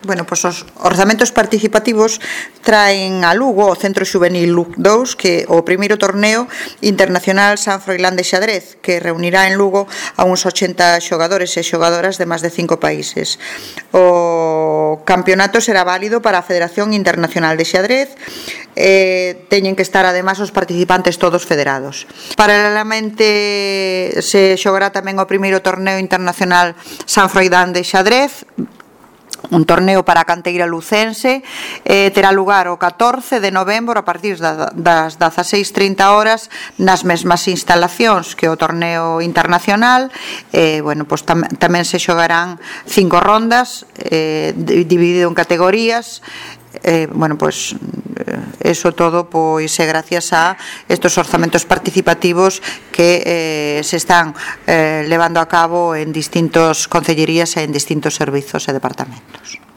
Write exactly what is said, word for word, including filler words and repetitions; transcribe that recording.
Bueno, pois os orzamentos participativos traen a Lugo o Centro Xuvenil Luc dous, que o primeiro torneo internacional San Froilán de xadrez, que reunirá en Lugo a uns ochenta xogadores e xogadoras de máis de cinco países. O campeonato será válido para a Federación Internacional de Xadrez, eh, teñen que estar ademais os participantes todos federados. Paralelamente se xogará tamén o primeiro torneo internacional San Froilán de xadrez, un torneo para a canteira lucense, eh, terá lugar o catorce de novembro a partir das dezaseis trinta horas nas mesmas instalacións que o torneo internacional. eh, bueno, pues tam tamén se xogarán cinco rondas, eh, dividido en categorías. Eh, bueno, pues eso todo pois é gracias a estos orzamentos participativos que eh, se están eh, levando a cabo en distintos concellerías e en distintos servizos e departamentos.